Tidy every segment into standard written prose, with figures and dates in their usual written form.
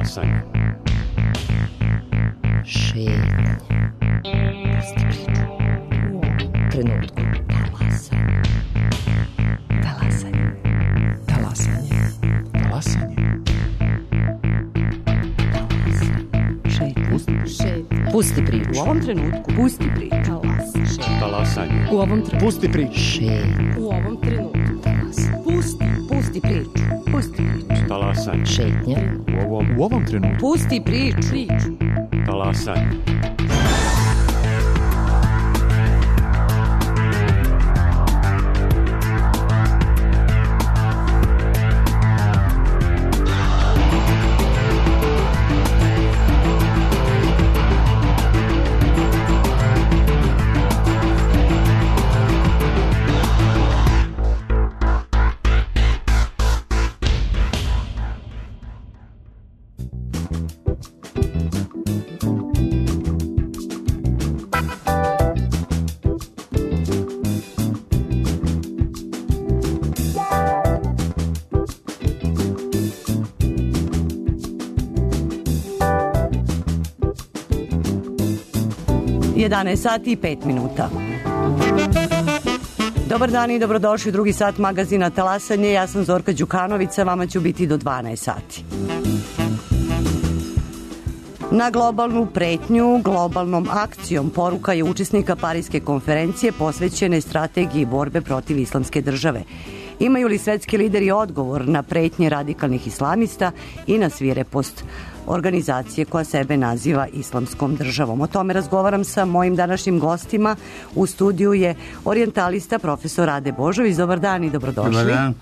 Talasanje. Šetnja. Pusti priču. Trenutku. Talasanje. Talasanje. Talasanje. Pusti priču. U ovom trenutku. Pusti priču. Talasanje. U ovom trenutku. Pusti priču. U ovom trenutku. Pusti priču. Pusti priču. Talasanje. Šetnja. U ovom trenutku. Pusti priču. Talasanje. Sati i 5 minuta. Dobar dan i dobrodošli u drugi sat magazina Talasanje. Ja sam Zorka Đukanovića, vama ću biti do 12 sati. Na globalnu pretnju, globalnom akcijom poruka je učesnika Pariske konferencije posvećene strategiji borbe protiv islamske države. Imaju li svetski lideri odgovor na pretnje radikalnih islamista i na svirepost organizacije koja sebe naziva Islamskom državom? O tome razgovaram sa mojim današnjim gostima. U studiju je orijentalista profesor Rade Božović. Dobar dan i dobrodošli. Dobar dan.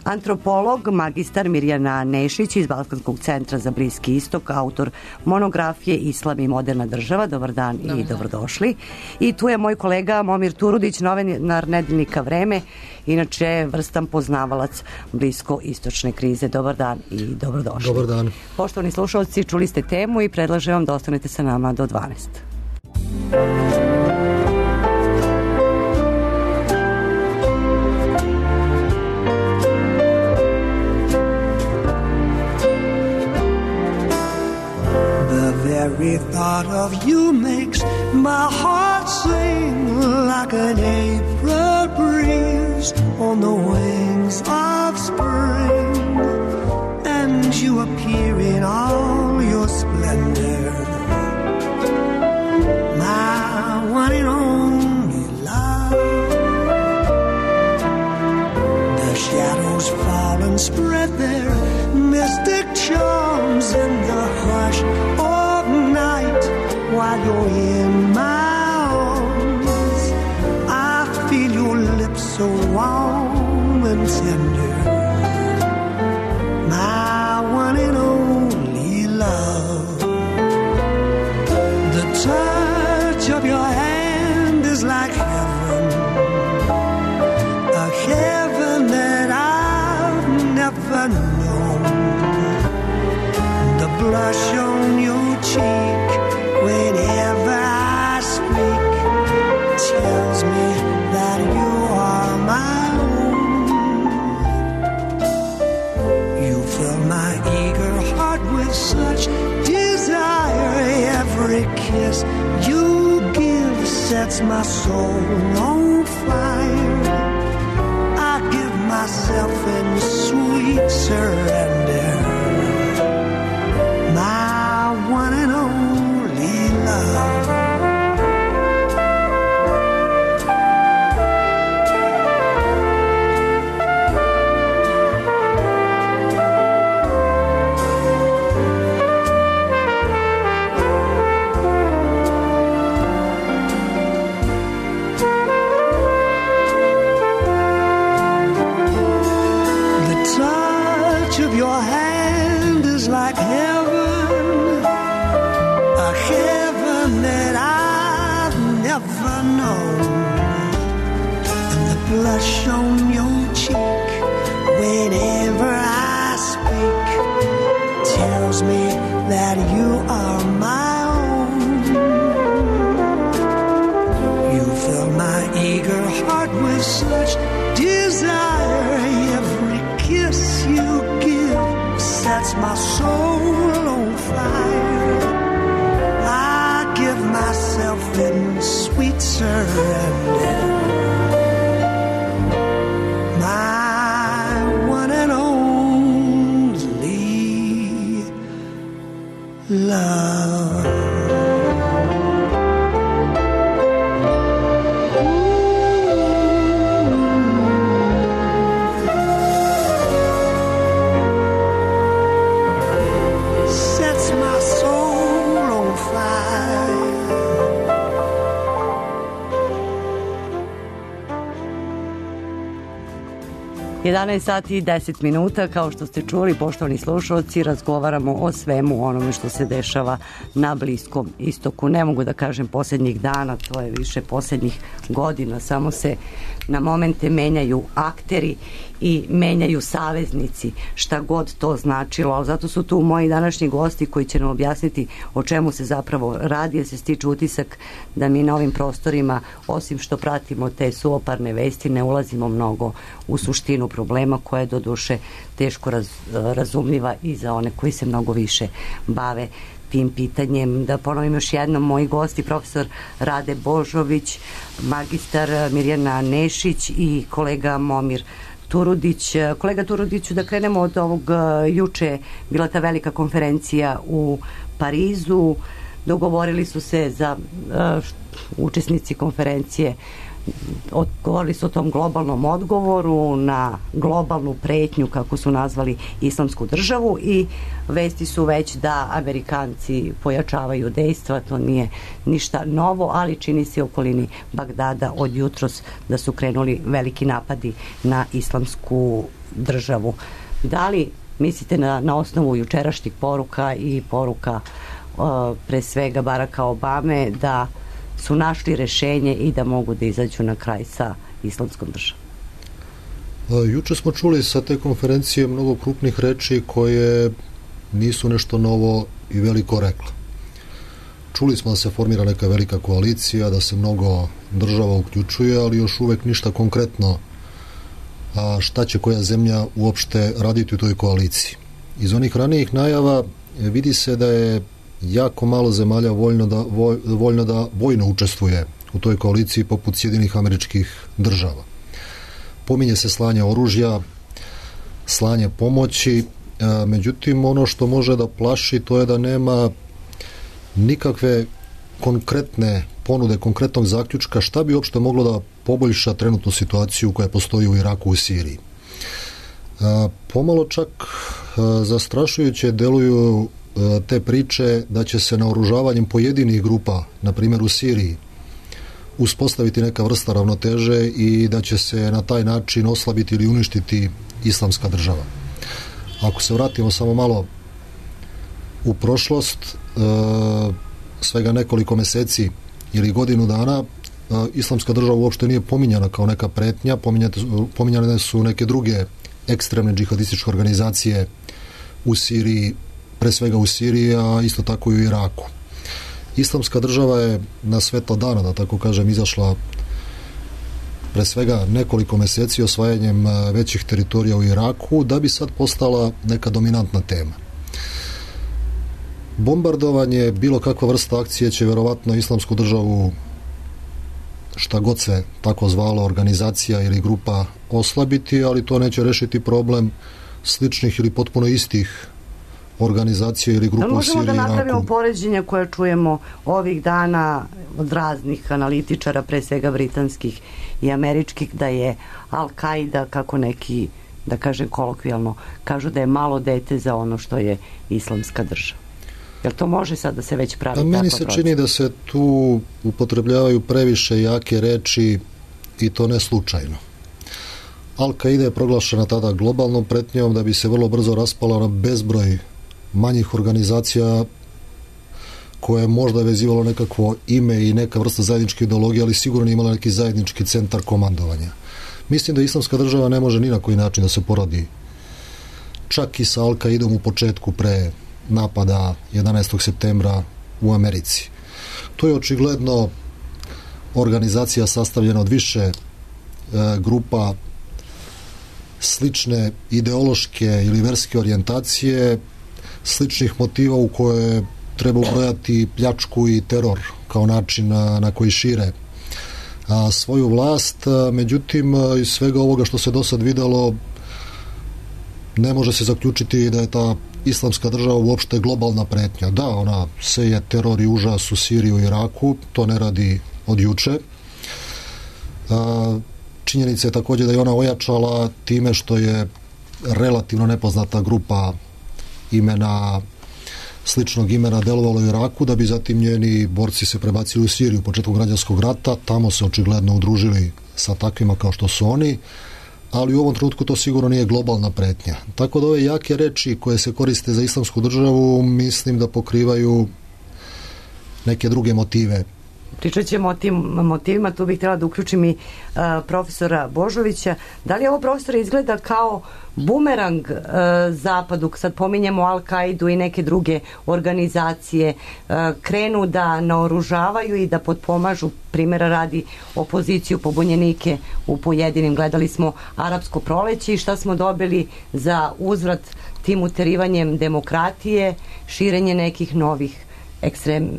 Antropolog, magistar Mirjana Nešić iz Balkanskog centra za Bliski istok, autor monografije Islam i moderna država. Dobar dan i dobrodošli. I tu je moj kolega Momir Turudić, novinar Nedeljnika Vreme, inače vrstan poznavalac blisko-istočne krize. Dobar dan i dobrodošli. Dobar dan. Poštovani slušalci, čuli ste temu i predlažem vam da ostanete sa nama do 12. Every thought of you makes my heart sing like an April breeze on the wings of spring, and you appear in all your splendor, my one and only love. The shadows fall and spread their mystic charms in the hush while you're in my arms. I feel your lips so warm and tender, my one and only love. The touch of your hand is like heaven, a heaven that I've never known. The blush on your cheek whenever I speak tells me that you are my own. You fill my eager heart with such desire. Every kiss you give sets my soul on fire. I give myself in sweet surrender, my one and only love. Your hand is like heaven, a heaven that I've never known. And the blush on your cheek whenever I speak tells me that you are my own. You fill my eager heart with such desire. Every kiss you give sets my soul on fire. I give myself in sweet surrender. My one and only love. Sets my soul on fire. 11 sati i 10 minuta, kao što ste čuli, poštovani slušalci, razgovaramo o svemu onome što se dešava na Bliskom istoku. Ne mogu da kažem posljednjih dana, to je više posljednjih godina, samo se na momente menjaju akteri i menjaju saveznici, šta god to značilo, ali zato su tu moji današnji gosti koji će nam objasniti o čemu se zapravo radi, jer se stiče utisak da mi na ovim prostorima, osim što pratimo te suoparne vesti, ne ulazimo mnogo u suštinu problema, koja je doduše teško razumljiva i za one koji se mnogo više bave tim pitanjem. Da ponovim još jednom, moji gosti, profesor Rade Božović, magistar Mirjana Nešić i kolega Momir Turudić. Kolega Turudiću, da krenemo od ovog, juče bila ta velika konferencija u Parizu, dogovorili su se za učesnici konferencije, govorili su o tom globalnom odgovoru na globalnu pretnju, kako su nazvali Islamsku državu, i vesti su već da Amerikanci pojačavaju dejstva. To nije ništa novo, ali čini se u okolini Bagdada od jutros da su krenuli veliki napadi na Islamsku državu. Da li mislite na osnovu jučerašnjih poruka i poruka pre svega Baracka Obame da su našli rešenje i da mogu da izađu na kraj sa Islamskom državom? Juče smo čuli sa te konferencije mnogo krupnih reči koje nisu nešto novo i veliko rekla. Čuli smo da se formira neka velika koalicija, da se mnogo država uključuje, ali još uvek ništa konkretno šta će koja zemlja uopšte raditi u toj koaliciji. Iz onih ranijih najava vidi se da je jako malo zemalja voljno da vojno učestvuje u toj koaliciji poput Sjedinjenih Američkih Država. Pominje se slanje oružja, slanje pomoći, međutim ono što može da plaši to je da nema nikakve konkretne ponude, konkretnog zaključka šta bi uopšte moglo da poboljša trenutnu situaciju koja postoji u Iraku i Siriji. Pomalo čak zastrašujuće deluju te priče da će se naoružavanjem pojedinih grupa, na primjer u Siriji, uspostaviti neka vrsta ravnoteže i da će se na taj način oslabiti ili uništiti Islamska država. Ako se vratimo samo malo u prošlost, svega nekoliko meseci ili godinu dana, Islamska država uopšte nije pominjana kao neka pretnja, pominjane su neke druge ekstremne džihadističke organizacije u Siriji, pre svega u Siriji, a isto tako i u Iraku. Islamska država je na svetlo dana, da tako kažem, izašla pre svega nekoliko meseci osvajanjem većih teritorija u Iraku, da bi sad postala neka dominantna tema. Bombardovanje, bilo kakva vrsta akcije će verovatno Islamsku državu, šta god se tako zvalo, organizacija ili grupa, oslabiti, ali to neće rešiti problem sličnih ili potpuno istih organizacija ili grupa u Siriji i Iraku. Možemo da napravimo poređenja koje čujemo ovih dana od raznih analitičara, pre svega britanskih i američkih, da je Al-Qaida, kako neki, da kažem kolokvijalno, kažu da je malo dete za ono što je Islamska država. Jel to može sad da se već pravi takva procena? Meni se čini da se tu upotrebljavaju previše jake reči i to ne slučajno. Al-Qaida je proglašena tada globalnom pretnjom da bi se vrlo brzo raspala na bezbroj manjih organizacija koje je možda vezivalo nekakvo ime i neka vrsta zajedničke ideologije, ali sigurno nije imala neki zajednički centar komandovanja. Mislim da Islamska država ne može ni na koji način da se porodi čak i sa Al-Qaidom u početku pre napada 11. septembra u Americi. To je očigledno organizacija sastavljena od više grupa slične ideološke ili verske orijentacije, sličnih motiva u koje treba ubrojati pljačku i teror kao način na koji šire svoju vlast. Međutim, iz svega ovoga što se do sad videlo, ne može se zaključiti da je ta islamska država uopšte globalna pretnja. Da, ona seje teror i užas u Siriji i Iraku, to ne radi od juče. Činjenica je također da je ona ojačala time što je relativno nepoznata grupa sličnog imena delovalo u Iraku, da bi zatim njeni borci se prebacili u Siriju početkom građanskog rata, tamo se očigledno udružili sa takvima kao što su oni, ali u ovom trenutku to sigurno nije globalna pretnja. Tako da ove jake reči koje se koriste za islamsku državu mislim da pokrivaju neke druge motive. Pričat ćemo o tim motivima, tu bih htjela da uključim i profesora Božovića. Da li ovo, profesore, izgleda kao bumerang Zapadu, sad pominjemo Al-Kaidu i neke druge organizacije, krenu da naoružavaju i da potpomažu, primjera radi, opoziciju, pobunjenike u pojedinim, gledali smo Arapsko proleće i šta smo dobili za uzvrat tim uterivanjem demokratije, širenje nekih novih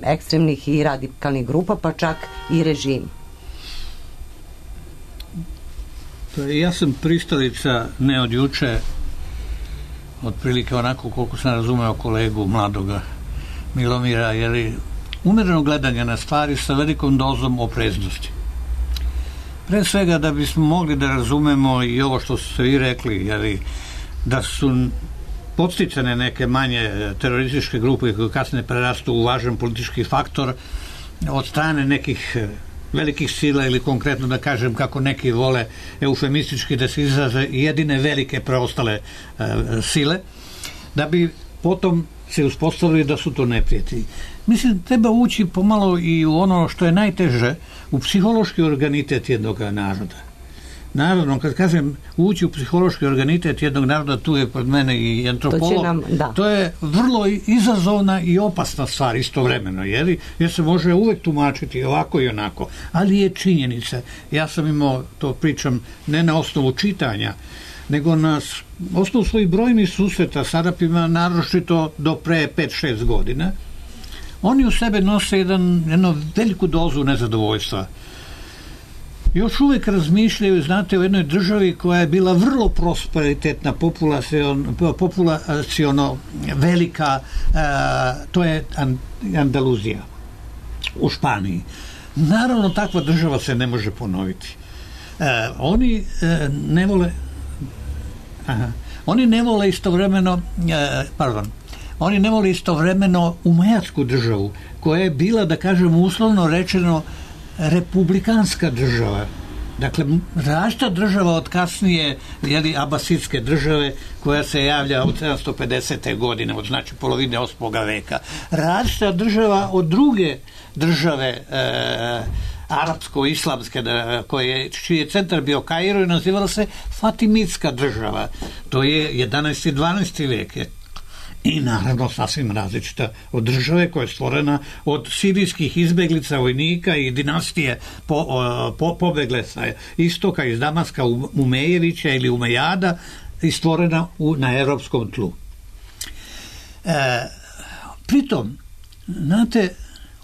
ekstremnih i radikalnih grupa, pa čak i režim. Ja sam pristalica ne od juče, otprilike onako koliko sam razumeo kolegu mladoga Milomira, jer umjereno gledanje na stvari sa velikom dozom opreznosti. Pre svega da bismo mogli da razumemo i ovo što ste vi rekli, jer da su podsticane neke manje terorističke grupe koje kasnije prerastu u važan politički faktor od strane nekih velikih sila, ili konkretno da kažem kako neki vole eufemistički da se izraze, jedine velike preostale sile, da bi potom se uspostavili da su to neprijatelji. Mislim, treba ući pomalo i u ono što je najteže, u psihološki organitet jednog naroda. Naravno, kad kažem ući u psihološki organitet jednog naroda, tu je pred mene i antropolog. To je vrlo izazovna i opasna stvar istovremeno, jer se može uvek tumačiti ovako i onako, ali je činjenica. Ja sam imao, to pričam ne na osnovu čitanja, nego na osnovu svojih brojnih susreta s Arapima, naročito do pre 5-6 godina. Oni u sebe nose jednu veliku dozu nezadovoljstva. Još uvijek razmišljaju, znate, o jednoj državi koja je bila vrlo prosperitetna, populaciono velika, to je Andaluzija u Španiji. Naravno, takva država se ne može ponoviti. Oni ne vole istovremeno umajatsku državu, koja je bila, da kažem, uslovno rečeno, republikanska država. Dakle, različita država od kasnije abasidske države, koja se javlja od 750. godine, od znači polovine 8. veka. Različita država od druge države arapsko-islamske, čiji je centar bio Kairo i nazivala se Fatimitska država. To je 11. i 12. vek. I naravno sasvim različita od države koja je stvorena od sirijskih izbeglica, vojnika i dinastije pobegle sa istoka, iz Damaska, Umejevića ili Umejada, i stvorena na europskom tlu. Pritom, znate,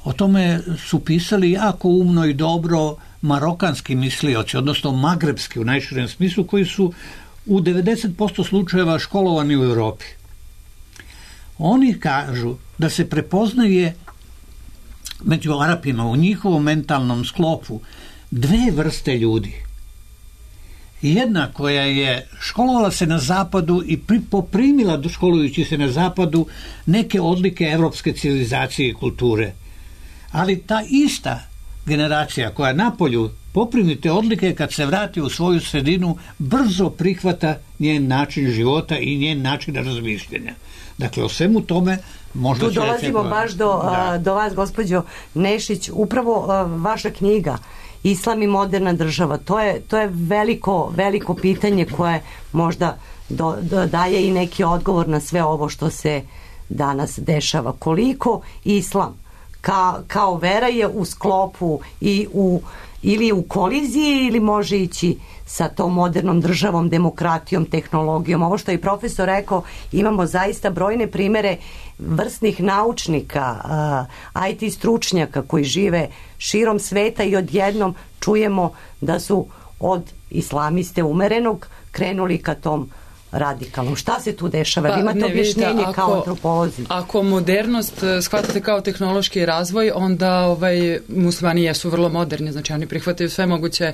o tome su pisali jako umno i dobro marokanski mislioci, odnosno magrebski u najširem smislu, koji su u 90% slučajeva školovani u Europi. Oni kažu da se prepoznaje među Arapima u njihovom mentalnom sklopu dve vrste ljudi. Jedna koja je školovala se na zapadu i poprimila, školujući se na zapadu, neke odlike evropske civilizacije i kulture. Ali ta ista generacija koja napolju poprimi te odlike, kad se vrati u svoju sredinu, brzo prihvata njen način života i njen način razmišljanja. Dakle, o svemu tome možda tu dolazimo baš do vas, gospođo Nešić, upravo vaša knjiga Islam i moderna država. To je veliko pitanje koje možda daje i neki odgovor na sve ovo što se danas dešava. Koliko Islam kao vera je u sklopu i ili u koliziji ili može ići sa tom modernom državom, demokratijom, tehnologijom. Ovo što je profesor rekao, imamo zaista brojne primere vrsnih naučnika, IT stručnjaka koji žive širom sveta i odjednom čujemo da su od islamiste umerenog krenuli ka tom radikalnom. Šta se tu dešava? Pa, imate objašnjenje kao antropolozi? Ako modernost shvatate kao tehnološki razvoj, onda muslimani jesu vrlo moderni, znači oni prihvataju sve moguće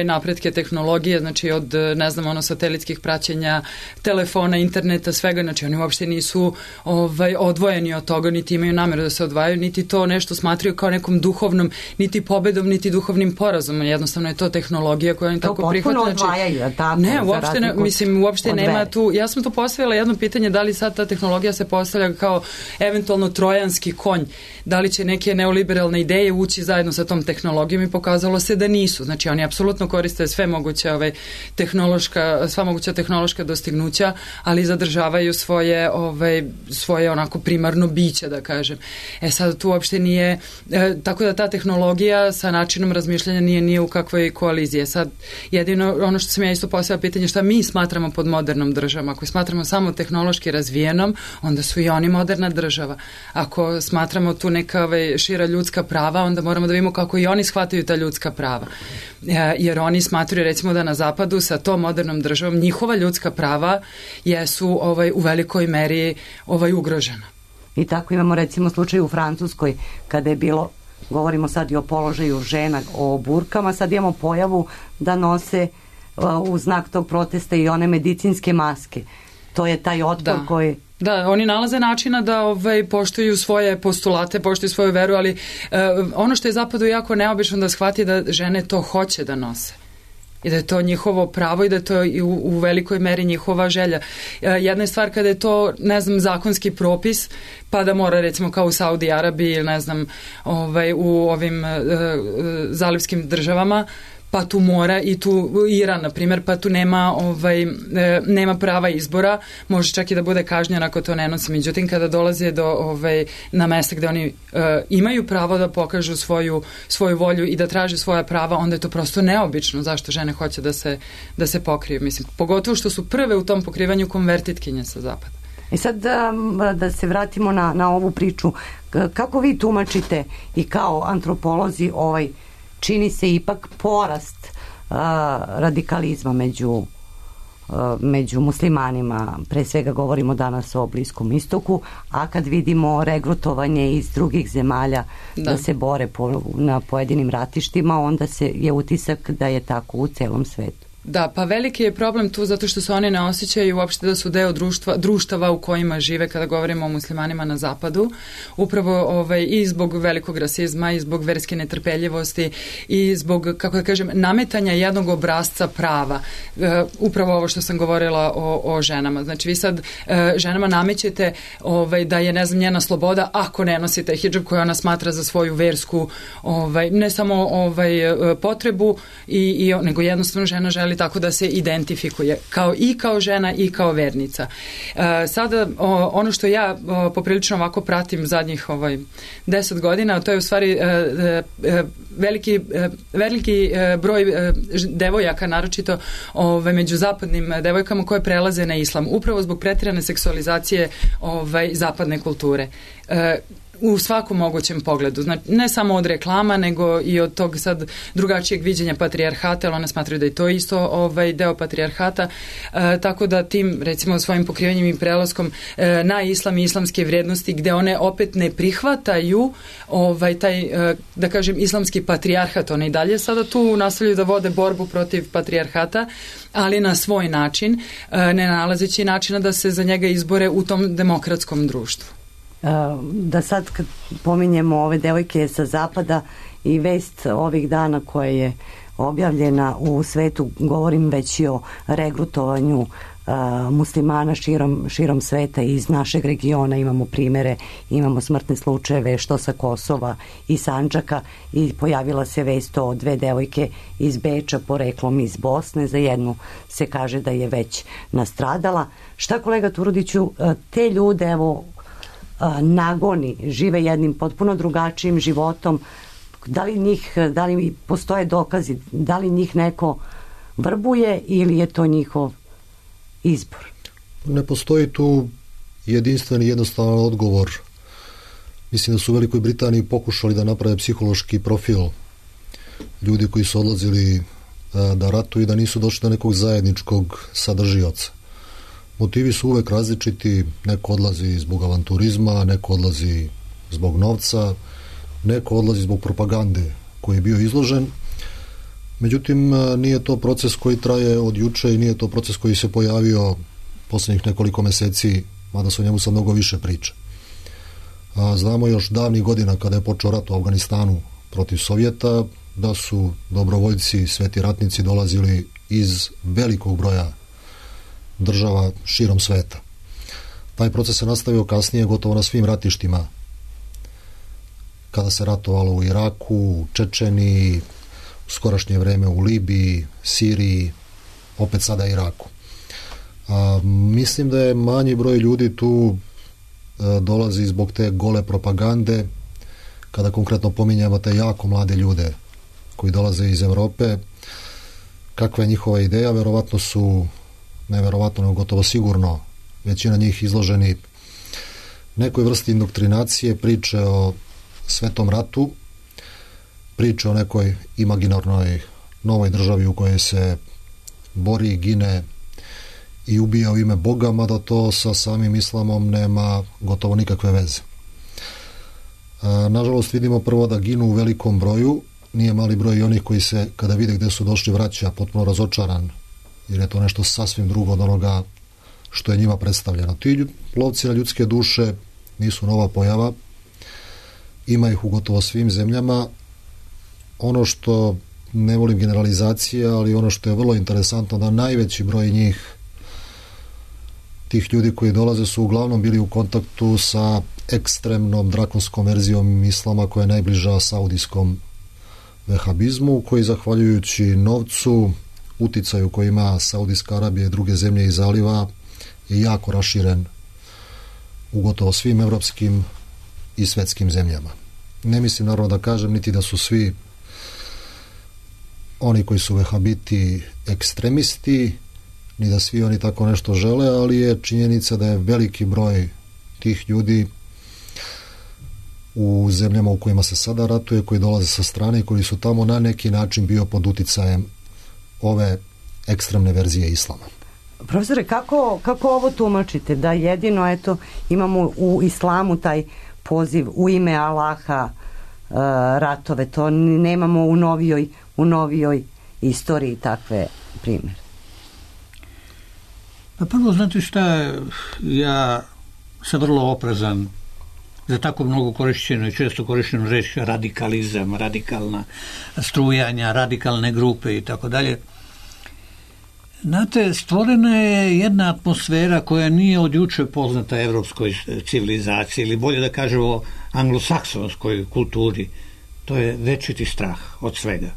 napretke tehnologije, znači od, ne znam, satelitskih praćenja, telefona, interneta, svega, znači oni uopšte nisu odvojeni od toga, niti imaju nameru da se odvajaju, niti to nešto smatraju kao nekom duhovnom, niti pobedom, niti duhovnim porazom. Jednostavno je to tehnologija koja oni tako prihvataju. To potpuno odvajaju, tako? Ne, uopšte ne, mislim, uopšte nema tu, ja sam tu postavila jedno pitanje, da li sad ta tehnologija se postavlja kao eventualno trojanski konj, da li će neke neoliberalne ideje ući zajedno sa tom tehnologijom, i pokazalo se da nisu. Znači oni apsolutno koriste sve moguće sva moguća tehnološka dostignuća, ali zadržavaju svoje onako primarno biće, da kažem. Sad tu uopšte nije, tako da ta tehnologija sa načinom razmišljanja nije u kakvoj koaliziji. Sad jedino ono što sam ja isto postavila pitanje, šta mi smatramo pod modernom državom. Ako smatramo samo tehnološki razvijenom, onda su i oni moderna država. Ako smatramo tu neka šira ljudska prava, onda moramo da vidimo kako i oni shvataju ta ljudska prava. Jer oni smatruju, recimo, da na zapadu sa tom modernom državom njihova ljudska prava jesu u velikoj meri ugrožena. I tako imamo, recimo, slučaj u Francuskoj kada je bilo, govorimo sad i o položaju žena, o burkama, sad imamo pojavu da nose u znak tog protesta i one medicinske maske. To je taj otpor koji... Da, oni nalaze načina da poštuju svoje postulate, poštuju svoju veru, ali ono što je zapadu jako neobično da shvati da žene to hoće da nose. I da je to njihovo pravo i da je to u velikoj meri njihova želja. Jedna je stvar kada je to, ne znam, zakonski propis, pa da mora, recimo, kao u Saudi Arabiji ili, ne znam, u ovim zalivskim državama, pa tu mora, i tu Iran, na primjer, pa tu nema prava izbora, može čak i da bude kažnjen ako to ne nosi. Međutim, kada dolaze na mesta gde oni imaju pravo da pokažu svoju volju i da traže svoja prava, onda je to prosto neobično zašto žene hoće da se pokriju. Mislim, pogotovo što su prve u tom pokrivanju konvertitkinje sa zapada. I sad da se vratimo na ovu priču. Kako vi tumačite i kao antropolozi čini se ipak porast radikalizma među muslimanima, pre svega govorimo danas o Bliskom istoku, a kad vidimo regrutovanje iz drugih zemalja da se bore na pojedinim ratištima, onda je utisak da je tako u celom svetu. Da, pa veliki je problem tu zato što se oni ne osjećaju uopšte da su deo društava u kojima žive kada govorimo o muslimanima na zapadu. Upravo i zbog velikog rasizma i zbog verske netrpeljivosti i zbog, kako da kažem, nametanja jednog obrasca prava. Upravo ovo što sam govorila o ženama. Znači vi sad ženama namećete da je, ne znam, njena sloboda ako ne nosite hidžab koju ona smatra za svoju versku ne samo potrebu nego jednostavno žena želi tako da se identifikuje kao žena i kao vernica. Sada ono što ja poprilično ovako pratim zadnjih 10 godina, to je u stvari veliki broj devojaka, naročito među zapadnim devojkama koje prelaze na islam, upravo zbog pretirane seksualizacije zapadne kulture. U svakom mogućem pogledu. Znači, ne samo od reklama, nego i od tog sad drugačijeg viđenja patrijarhata, ali one smatraju da je to isto deo patrijarhata, tako da tim, recimo, svojim pokrivanjem i prelaskom na islam i islamske vrijednosti, gde one opet ne prihvataju taj, da kažem, islamski patrijarhat, one i dalje sada tu nastavljaju da vode borbu protiv patrijarhata, ali na svoj način, ne nalazeći načina da se za njega izbore u tom demokratskom društvu. Da sad kad pominjemo ove devojke sa zapada i vest ovih dana koja je objavljena u svetu, govorim već i o regrutovanju muslimana širom sveta iz našeg regiona, imamo primere, imamo smrtne slučajeve što sa Kosova i Sandžaka, i pojavila se vest o 2 devojke iz Beča poreklom iz Bosne, za jednu se kaže da je već nastradala. Šta, kolega Turudiću, te ljude, evo, nagoni, žive jednim potpuno drugačijim životom, da li postoje dokazi, da li njih neko vrbuje ili je to njihov izbor? Ne postoji tu jedinstven i jednostavan odgovor. Mislim da su u Velikoj Britaniji pokušali da naprave psihološki profil ljudi koji su odlazili da ratuju i da nisu došli do nekog zajedničkog sadržioca. Motivi su uvek različiti, neko odlazi zbog avanturizma, neko odlazi zbog novca, neko odlazi zbog propagande koji je bio izložen. Međutim, nije to proces koji traje od juče i nije to proces koji se pojavio poslednjih nekoliko meseci, mada se o njemu sad mnogo više priča. Znamo još davnih godina kada je počeo rat u Afganistanu protiv Sovjeta, da su dobrovoljci, sveti ratnici dolazili iz velikog broja država širom sveta. Taj proces se nastavio kasnije gotovo na svim ratištima, kada se ratovalo u Iraku, u Čečeniji, u skorašnje vreme u Libiji, Siriji, opet sada Iraku. Mislim da je manji broj ljudi tu dolazi zbog te gole propagande, kada konkretno pominjamo te jako mlade ljude koji dolaze iz Evrope. Kakva je njihova ideja? Verovatno su, ne verovatno, nego gotovo sigurno, većina njih izloženi nekoj vrsti indoktrinacije, priče o svetom ratu, priče o nekoj imaginarnoj novoj državi u kojoj se bori, gine i ubija u ime Boga, mada to sa samim islamom nema gotovo nikakve veze. Nažalost, vidimo prvo da ginu u velikom broju, nije mali broj i onih koji se, kada vide gde su došli, vraća potpuno razočaran, jer je to nešto sasvim drugo od onoga što je njima predstavljeno. Ti lovci na ljudske duše nisu nova pojava, ima ih u gotovo svim zemljama. Ono što, ne volim generalizacije, ali ono što je vrlo interesantno, da najveći broj njih, tih ljudi koji dolaze, su uglavnom bili u kontaktu sa ekstremnom drakonskom verzijom islama koja je najbliža saudijskom vehabizmu, koji zahvaljujući novcu, uticaju koji ima Saudijska Arabija i druge zemlje iz zaliva, je jako raširen u gotovo svim evropskim i svetskim zemljama. Ne mislim naravno da kažem niti da su svi oni koji su vehabiti ekstremisti, ni da svi oni tako nešto žele, ali je činjenica da je veliki broj tih ljudi u zemljama u kojima se sada ratuje, koji dolaze sa strane i koji su tamo na neki način bio pod ove ekstremne verzije islama. Profesore, kako ovo tumačite? Da jedino, eto, imamo u islamu taj poziv u ime Allaha ratove, to nemamo u novijoj istoriji takve primjere. Pa prvo, znate šta, ja sam vrlo oprezan za tako mnogo korišćeno i često korišćenu reč radikalizam, radikalna strujanja, radikalne grupe i tako dalje. Znate, stvorena je jedna atmosfera koja nije od juče poznata evropskoj civilizaciji, ili bolje da kažemo anglosaksonskoj kulturi. To je večiti strah od svega.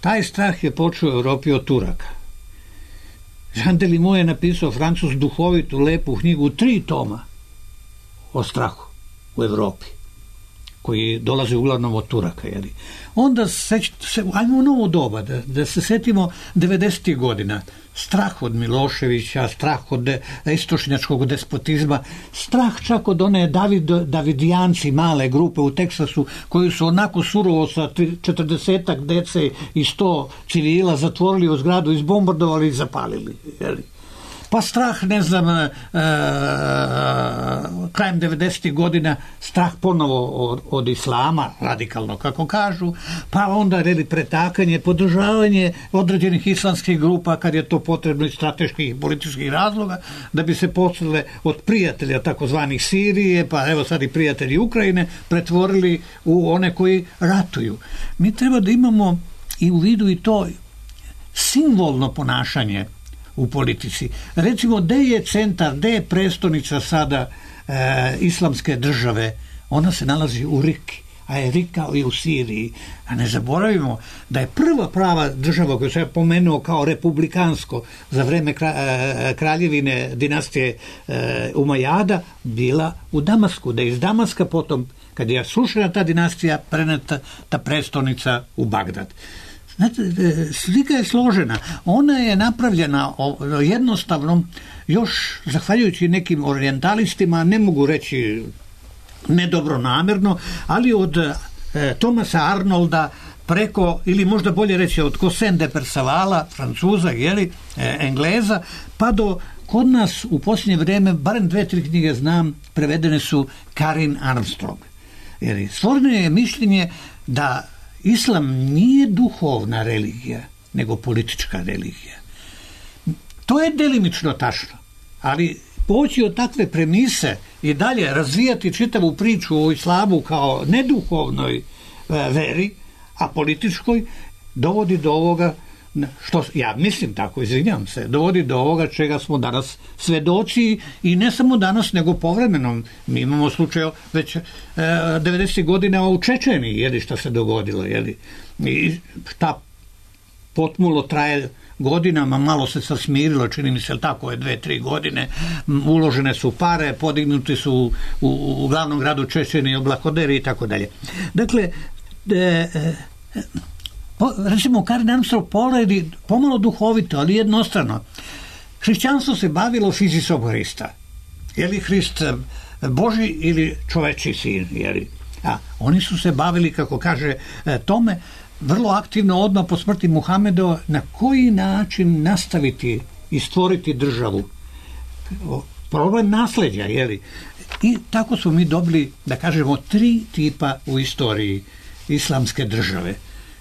Taj strah je počeo u Europi od Turaka. Jean Delimont je napisao, Francus, duhovitu, lepu knjigu, 3 toma o strahu u Evropi, koji dolaze uglavnom od Turaka. Jeli. Onda ajmo u novo doba, da se setimo 90. godina. Strah od Miloševića, strah od istočnjačkog despotizma, strah čak od one Davidijanci, male grupe u Teksasu, koji su onako surovo sa 40 dece i 100 civila zatvorili u zgradu, izbombardovali i zapalili. Jeli. Pa strah, ne znam, krajem 90. godina, strah ponovo od islama, radikalno kako kažu, pa onda pretakanje, podržavanje određenih islamskih grupa kad je to potrebno iz strateških i političkih razloga, da bi se posle od prijatelja takozvanih Sirije, pa evo sad i prijatelji Ukrajine, pretvorili u one koji ratuju. Mi treba da imamo i u vidu i to simbolno ponašanje u politici. Recimo, gde je centar, gde je prestonica sada islamske države? Ona se nalazi u Riki, a je vikao i u Siriji. A ne zaboravimo da je prva prava država koju sam ja pomenuo kao republikansko za vreme kraljevine dinastije Umajada bila u Damasku, da je iz Damaska potom, kad je srušena ta dinastija, preneta ta prestonica u Bagdad. Znate, slika je složena. Ona je napravljena jednostavno još zahvaljujući nekim orijentalistima, ne mogu reći nedobronamjerno, ali od Thomasa Arnolda preko, ili možda bolje reći od Cossin de Percevala, Francuza, Engleza, pa do kod nas u posljednje vrijeme, barem 2-3 knjige znam, prevedene su Karin Armstrong. Jer stvoreno je mišljenje da islam nije duhovna religija, nego politička religija. To je delimično tačno, ali poći od takve premise i dalje razvijati čitavu priču o islamu kao neduhovnoj veri, a političkoj, dovodi do ovoga, što ja mislim tako, izvinjam se, dovodi do ovoga čega smo danas svedoci, i ne samo danas, nego povremeno. Mi imamo slučaj već 90. godina u Čečeniji, šta se dogodilo, i šta potmulo traje godinama, malo se smirilo, čini mi se tako je 2-3 godine, uložene su pare, podignuti su u glavnom gradu Čečenije oblakoderi i tako dalje. Dakle, recimo Karin Armstrong poredi pomalo duhovito, ali jednostrano. Hrišćanstvo se bavilo fizisom Hrista. Je li Hrist Boži ili čoveči sin? A oni su se bavili, kako kaže tome, vrlo aktivno odmah po smrti Muhamedova, na koji način nastaviti i stvoriti državu. Problem nasleđa, I tako smo mi dobili, da kažemo, 3 tipa u istoriji islamske države.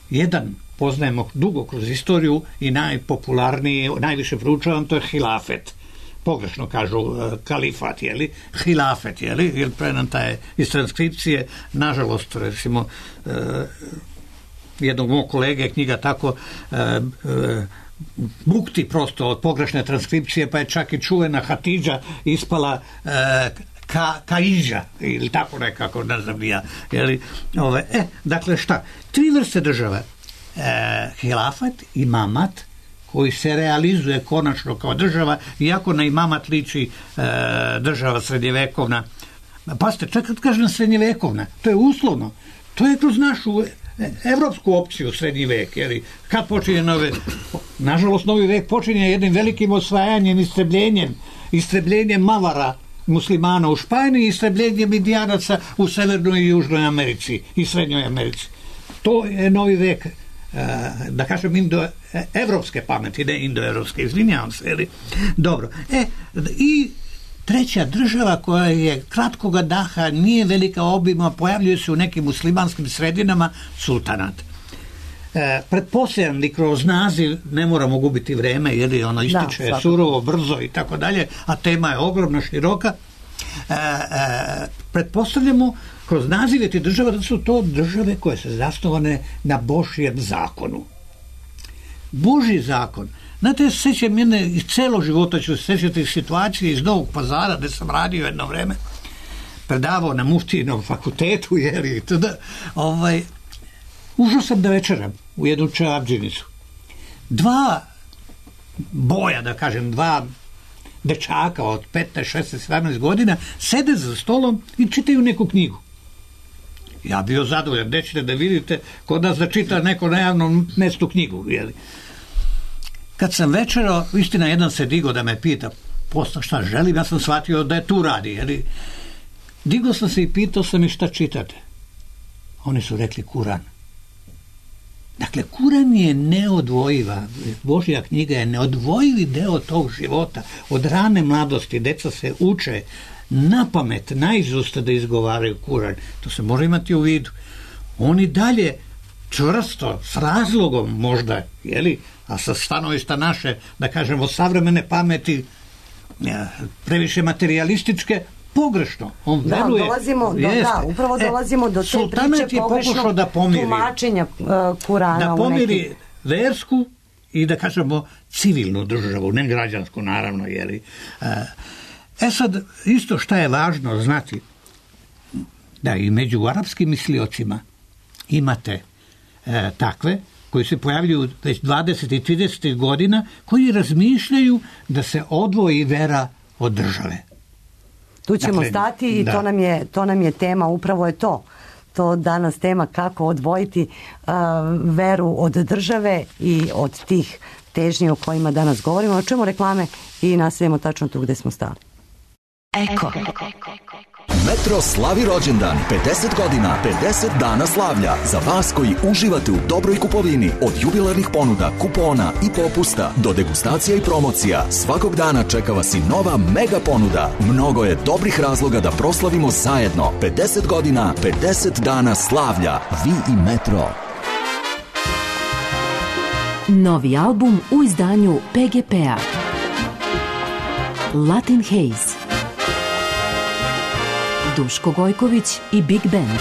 Jedan poznajemo dugo kroz istoriju i najpopularniji, najviše proučavan, to je hilafet. Pogrešno kažu kalifat, hilafet, jer prenata je iz transkripcije, nažalost, recimo, jednog mog kolege knjiga tako bukti prosto od pogrešne transkripcije, pa je čak i čuvena Hatidža ispala Kaidža, ili tako nekako, ne znam ja. Dakle, šta? 3 vrste države. Hilafat, imamat, koji se realizuje konačno kao država, iako na imamat liči država srednjevekovna. Pazite, čak kad kažem srednjevekovna, to je uslovno. To je kroz našu evropsku opciju srednji vek, kad počinje nažalost novi vek počinje jednim velikim osvajanjem, istrebljenjem Mavara, muslimana u Španiji, istrebljenjem Indijanaca u Severnoj i Južnoj Americi i Srednjoj Americi. To je novi vek, da kažem, evropske pameti, ne indoevropske, izvinjavam se. Dobro. I treća država koja je kratkoga daha, nije velika obima, pojavljuje se u nekim muslimanskim sredinama, sultanat. Pretpostavljam li kroz naziv, ne moramo gubiti vreme, ono ističe surovo, brzo i tako dalje, a tema je ogromna, široka. Pretpostavljamo kroz nazive ti država da su to države koje su zasnovane na Božjem zakonu. Božji zakon. Znate, sećam jedne, iz celog života ću sećati situacije iz Novog Pazara, gde sam radio jedno vreme, predavao na Muftijinom fakultetu, ušao sam da večeram u jednu čevapdžinicu. 2 boja, da kažem, 2 dečaka od 15, 16, 17 godina sede za stolom i čitaju neku knjigu. Ja bio zadovoljan, nećete da vidite kod nas da čita neko na javnom mestu knjigu. Kad sam večerao, istina, jedan se digo da me pita posle šta želim, ja sam shvatio da je tu radi. Digo sam se i pitao sam i šta čitate. Oni su rekli Kuran. Dakle, Kuran je neodvojiva, Božja knjiga je neodvojivi deo tog života. Od rane mladosti deca se uče na pamet, naizust da izgovaraju Kuran. To se može imati u vidu. Oni dalje čvrsto, s razlogom možda, a sa stanovišta naše, da kažemo, savremene pameti, previše materialističke, pogrešno. On veruje. Upravo dolazimo do te priče pogrešnog tumačenja Kurana. Da pomiri versku i, da kažemo, civilnu državu, ne građansku, naravno. Sad, isto šta je važno znati, Da, i među arapskim misliocima imate takve koji se pojavljuju već 20 i 30 godina, koji razmišljaju da se odvoji vera od države. Tu ćemo stati i to nam je tema, upravo je to danas tema kako odvojiti veru od države i od tih težnji o kojima danas govorimo. Čujemo reklame i nastavimo tačno tu gde smo stali. Eko. Metro slavi rođendan, 50 godina, 50 dana slavlja. Za vas koji uživate u dobroj kupovini, od jubilarnih ponuda, kupona i popusta do degustacija i promocija, svakog dana čeka vas i nova mega ponuda. Mnogo je dobrih razloga da proslavimo zajedno. 50 godina, 50 dana slavlja. Vi i Metro. Novi album u izdanju PGP-a. Latin Haze. Duško Gojković i Big Band.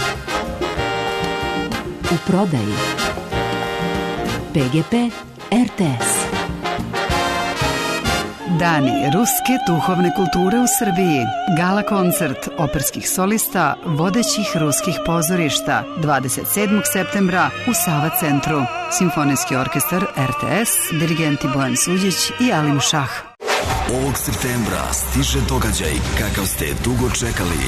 U prodaji PGP RTS. Dani ruske duhovne kulture u Srbiji. Gala koncert operskih solista vodećih ruskih pozorišta 27. septembra u Sava centru. Simfonijski orkestar RTS, dirigenti Bojan Suđić i Alim Šah. Ovog septembra stiže događaj kakav ste dugo čekali.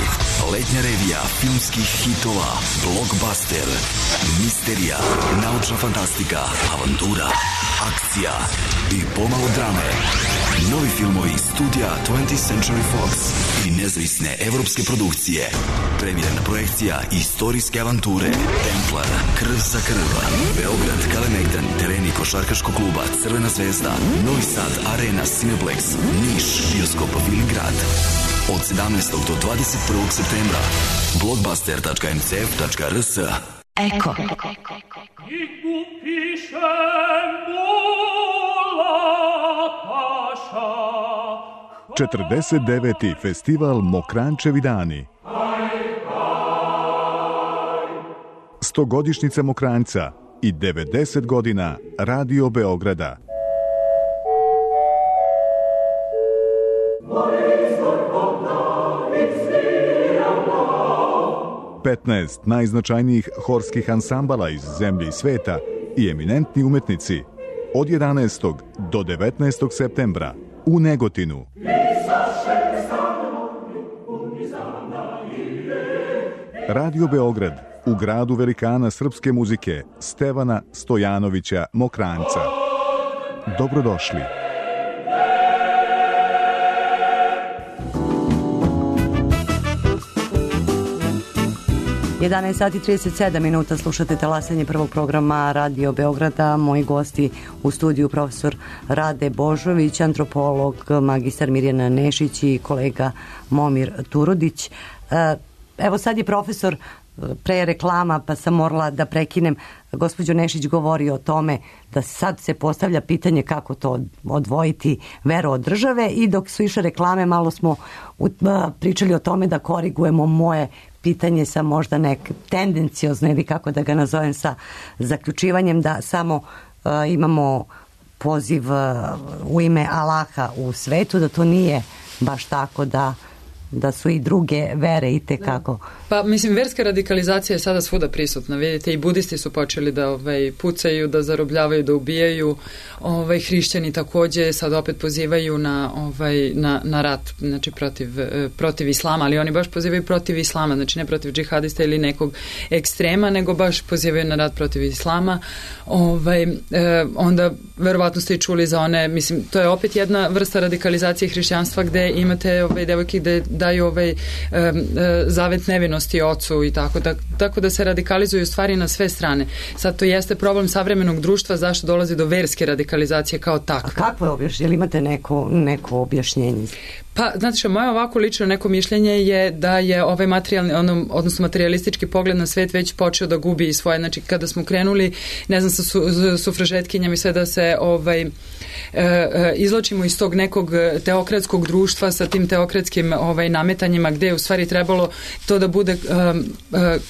Letnja revija filmskih hitova, blockbuster, misterija, naučna fantastika, avantura, akcija i pomalo drame. Novi filmovi studija 20th Century Fox i nezavisne evropske produkcije. Premijerna projekcija istorijske avanture Templar, Krv za krv, Beograd, Kalemegdan, tereni košarkaškog kluba Crvena zvezda, Novi Sad, Arena, Cineplex, Niš, bioskop Viligrad. Od 17. do 21. septembra. blockbuster.mcf.rs. Eko. 49. festival Mokrančevi dani. 100-godišnjica Mokranjca i 90 godina Radio Beograda. Petnaest najznačajnijih horskih ansambala iz zemlje i sveta i eminentni umetnici od 11. do 19. septembra u Negotinu. Radio Beograd u gradu velikana srpske muzike Stevana Stojanovića Mokranjca. Dobrodošli. Sat i 37 minuta, slušate talasanje prvog programa Radio Beograda. Moji gosti u studiju profesor Rade Božović, antropolog, magistar Mirjana Nešić i kolega Momir Turodić. Evo sad je profesor pre reklama, pa sam morala da prekinem. Gospođo Nešić govori o tome da sad se postavlja pitanje kako to odvojiti veru od države, i dok su išle reklame malo smo pričali o tome da korigujemo moje pitanje sa možda nek tendenciozno, ili kako da ga nazovem, sa zaključivanjem da samo imamo poziv u ime Allaha u svetu, da to nije baš tako, da su i druge vere i tekako. Pa mislim, verska radikalizacija je sada svuda prisutna, vidite, i budisti su počeli da pucaju, da zarobljavaju, da ubijaju, hrišćani takođe sad opet pozivaju na rat, znači protiv islama, ali oni baš pozivaju protiv islama, znači ne protiv džihadista ili nekog ekstrema, nego baš pozivaju na rat protiv islama. Onda verovatno ste i čuli za one, mislim, to je opet jedna vrsta radikalizacije hrišćanstva gde imate devojke gde daju zavet nevinosti ocu i tako da se radikalizuju stvari na sve strane. Sad to jeste problem savremenog društva, zašto dolazi do verske radikalizacije kao takve. A kako je objašnjenje? Imate neko objašnjenje? Pa, znate što, moje ovako lično neko mišljenje je da je ovaj materijalni, odnosno materialistički pogled na svet već počeo da gubi svoje, znači kada smo krenuli, ne znam, sa sufražetkinjama i sve da se izločimo iz tog nekog teokratskog društva sa tim teokratskim nametanjima, gde je u stvari trebalo to da bude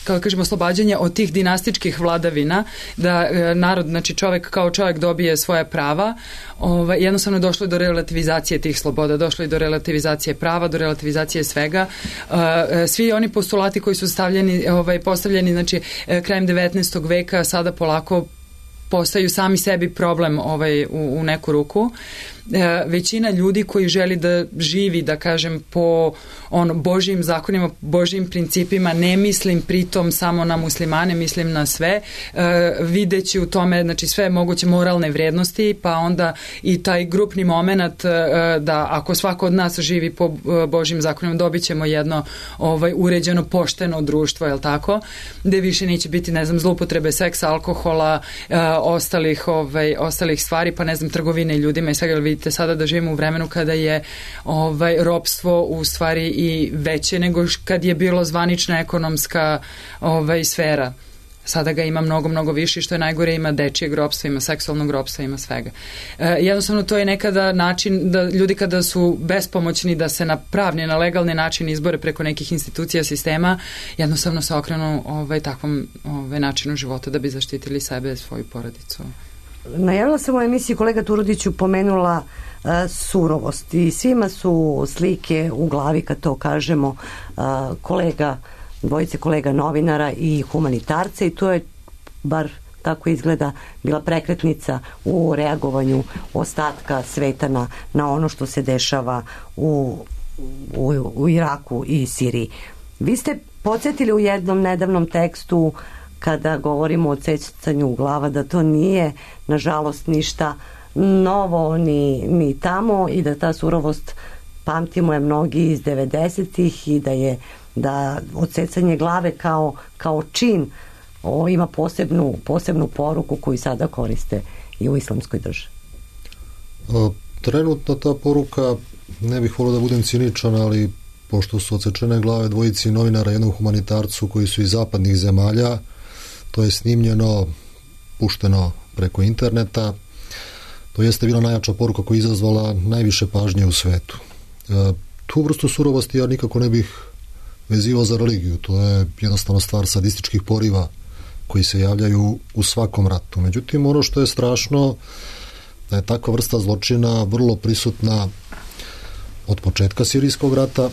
kako kažemo oslobađanje od tih dinastičkih vladavina, da narod, znači čovek kao čovek dobije svoje prava, jednostavno došlo je do relativizacije tih sloboda, došlo je do relativizacije prava, do relativizacije svega. Svi oni postulati koji su postavljeni znači krajem 19. veka sada polako postaju sami sebi problem u neku ruku. Većina ljudi koji želi da živi, da kažem, po Božjim zakonima, Božjim principima, ne mislim pritom samo na muslimane, mislim na sve, videći u tome, znači, sve moguće moralne vrednosti, pa onda i taj grupni moment da ako svako od nas živi po Božjim zakonima, dobit ćemo jedno uređeno, pošteno društvo, jel tako? Gde više neće biti, ne znam, zloupotrebe seksa, alkohola, ostalih stvari, pa ne znam, trgovine ljudima i svega. Vidite sada da živimo u vremenu kada je ropstvo u stvari i veće nego kad je bilo zvanična ekonomska sfera. Sada ga ima mnogo, mnogo više, što je najgore, ima dečijeg ropstva, ima seksualnog ropstva, ima svega. Jednostavno to je nekada način da ljudi kada su bespomoćni da se na pravni, na legalni način izbore preko nekih institucija sistema, jednostavno se okrenu takvom načinu života da bi zaštitili sebe, svoju porodicu. Najavila sam u emisiji, kolega Turudiću pomenula surovost i svima su slike u glavi kad to kažemo dvojice kolega novinara i humanitarca, i to je, bar tako izgleda, bila prekretnica u reagovanju ostatka sveta na ono što se dešava u Iraku i Siriji. Vi ste podsjetili u jednom nedavnom tekstu, kada govorimo o odsecanju glava, da to nije nažalost ništa novo ni tamo i da ta surovost, pamtimo je mnogi iz 90-ih, i da odsecanje glave kao čin ima posebnu poruku koju sada koriste i u islamskoj državi. Trenutno ta poruka, ne bih volio da budem ciničan, ali pošto su odsečene glave dvojici novinara, jednom humanitarcu koji su iz zapadnih zemalja, to je snimljeno, pušteno preko interneta, to jeste bila najjača poruka koja je izazvala najviše pažnje u svetu. Tu vrstu surovosti ja nikako ne bih vezivao za religiju, to je jednostavno stvar sadističkih poriva koji se javljaju u svakom ratu. Međutim, ono što je strašno, da je takva vrsta zločina vrlo prisutna od početka sirijskog rata,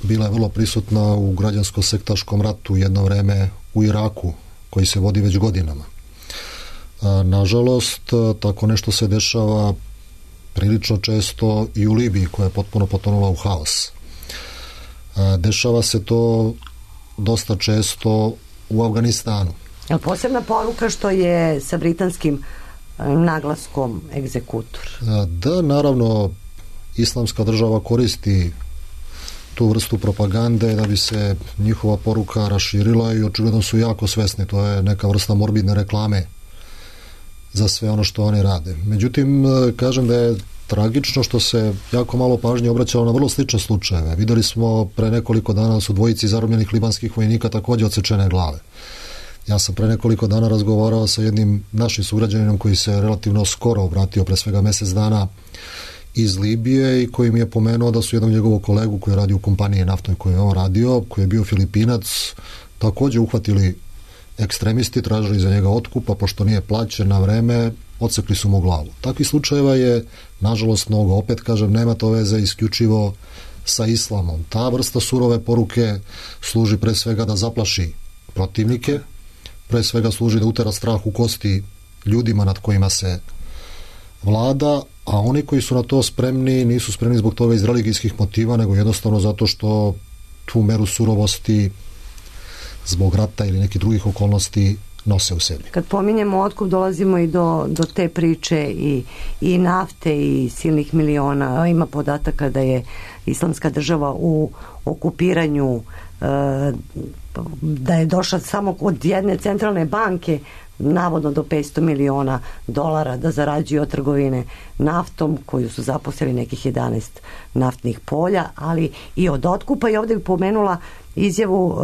bila je vrlo prisutna u građansko-sektaškom ratu jedno vreme u Iraku, koji se vodi već godinama. Nažalost, tako nešto se dešava prilično često i u Libiji, koja je potpuno potonula u haos. Dešava se to dosta često u Afganistanu. Je li posebna poruka što je sa britanskim naglaskom egzekutor? Da, naravno, islamska država koristi tu vrstu propagande da bi se njihova poruka raširila i očigledno su jako svesni. To je neka vrsta morbidne reklame za sve ono što oni rade. Međutim, kažem da je tragično što se jako malo pažnje obraćalo na vrlo slične slučajeve. Videli smo pre nekoliko dana da su dvojici zarobljenih libanskih vojnika takođe odsečene glave. Ja sam pre nekoliko dana razgovarao sa jednim našim sugrađaninom koji se relativno skoro obratio, pre svega mesec dana, iz Libije, i koji mi je pomenuo da su jednom njegovog kolegu koji radi u kompaniji naftnoj koju je on radio, koji je bio Filipinac, takođe uhvatili ekstremisti, tražili za njega otkup, a pošto nije plaćen na vreme, odsekli su mu glavu. Takvih slučajeva je nažalost mnogo. Opet kažem, nema to veze isključivo sa islamom. Ta vrsta surove poruke služi pre svega da zaplaši protivnike, pre svega služi da utera strah u kosti ljudima nad kojima se vlada, a oni koji su na to spremni nisu spremni zbog toga iz religijskih motiva, nego jednostavno zato što tu meru surovosti zbog rata ili nekih drugih okolnosti nose u sebi. Kad pominjemo otkup, dolazimo i do te priče i nafte i silnih miliona. Ima podataka da je islamska država u okupiranju, da je došla samo od jedne centralne banke navodno do $500 miliona da zarađuju od trgovine naftom, koju su zaposlili nekih 11 naftnih polja, ali i od otkupa. I ovdje bi pomenula izjavu